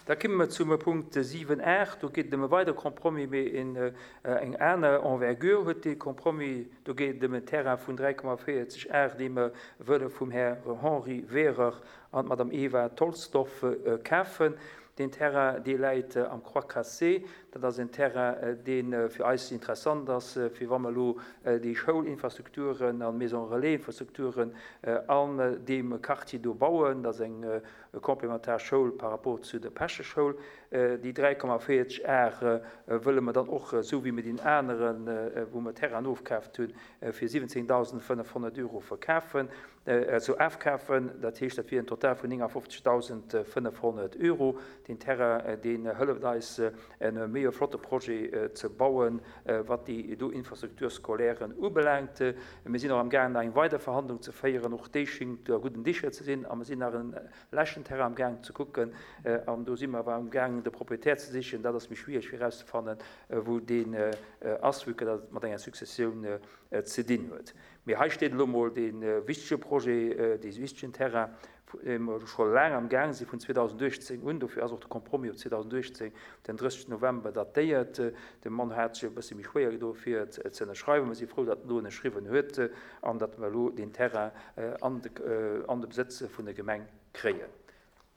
Da kimme mer zum Punkt 7, 8. Do geet et ëm e weidere Compromis, mee eng aner Envergure huet dee Compromis. Do geet et ëm en Terrain vun 3,40 Ar, dee mer wëlle vum Här Henri Wehrer an d'Madame Eva Tolsdorf kafen. Deen Terrain, dee läit am Croix Cassée. Dat ass en Terrain, dee fir eis interessant ass, fir wa mer elo déi Schoulinfrastrukturen an Maison relais-Infrastrukturen an deem Quartier do bauen. Dat ass eng complémentaire Schoul par rapport zu der Päscheschoul. Déi 3,40 Ar wëlle mer dann och, esou wéi mer deen aneren, wou mer Terrainen ofkaaft hunn, fir 17.500 Euro verkafen, also afkafen. Dat heescht, dat wier en Total vun 59.500 Euro. Deen Terrain, deen hëlleft eis, e méi e flotte Projet ze bauen, wat déi do Infrastructures scolaires ubelaangt. Mir sinn och amgaangen, nach eng weider Verhandlung ze féieren. Och déi schéngt a gudden Dicher ze sinn. A mir sinn nach en leschten Terrain amgaangen ze kucken. An do si mer awer amgaangen, de Propriétaire ze sichen. Dat ass méi schwierig, fir erauszefannen, wou deen ass, vue que dat et mat enger Successioun ze dinn huet. Mee hei steet elo emol dee wichtege Projet, dee wichtegen Terrain, dee mer scho laang am Gaang sinn, vun 2018 un. Dofir ass och de Compromis op 2018, den 30 November, datéiert. De Mann hat sech e bësse méi schwéier gedo fir et ze ënnerschreiwen. Mer si frou, datt en elo ënnerschriwwen huet an datt mer elo deen Terrain an de Besëtz vun der Gemeng kréien.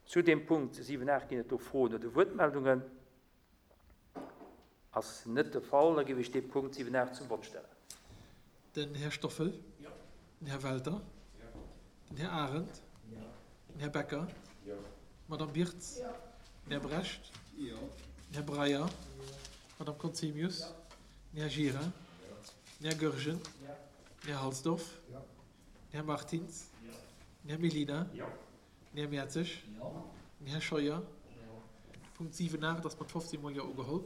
Zu deem Punkt 7, 8 ginn et do Froen oder Wuertmeldungen? Ass net de Fall. Da géif ech dee Punkt 7, 8 zum Vott stellen. Den Här Stoffel. Den Här Welter. Den Här Arendt. Den Här Becker. D'Madame Birtz. Den Här Brecht. Den Här Breyer. D'Madame Conzemius. Den Här Gira. Den Här Goergen. Den Här Halsdorf. Den Här Martins. Den Här Mellina. Den Här Mertzig. Den Här Scheuer. De Punkt 7, 8 ass mat 15 mol Jo ugeholl.